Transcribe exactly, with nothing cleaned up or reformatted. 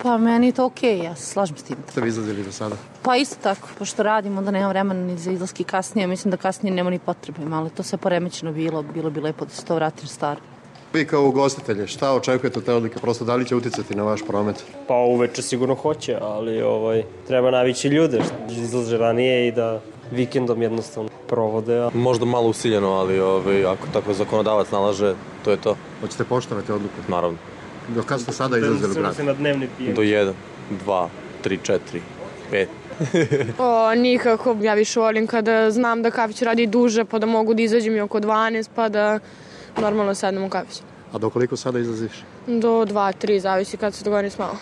Pa meni je to okej, ja se slažem s tim. Ste vi izlazili do sada? Pa isto tako, pošto radimo, onda nema vremena ni za izlaski kasnije, mislim da kasnije nema ni potrebe, ali to sve poremećeno bilo, bilo bi lepo da se to vrati staro. Vi kao ugostitelje, šta očekujete od te odluke? Prosto da li će uticati na vaš promet? Pa uveče sigurno hoće, ali ovaj, treba navići ljude, izlaže ranije i da vikendom jednostavno provode. Možda malo usiljeno, ali ovaj, ako tako zakonodavac nalaže, to je to. Hoćete poštovati odluku? Naravno. Do kada ste sada izlazili u grad? Se na dnevni pijen. Do jedan, dva, tri, četiri, pet. O, nikako, ja više volim kada znam da kafić radi duže, pa da mogu da izađem i oko dvanaest, pa da normalno sednem u kafić. A do koliko sada izlaziš? Do dva, tri, zavisi kad se dogovorim s malo.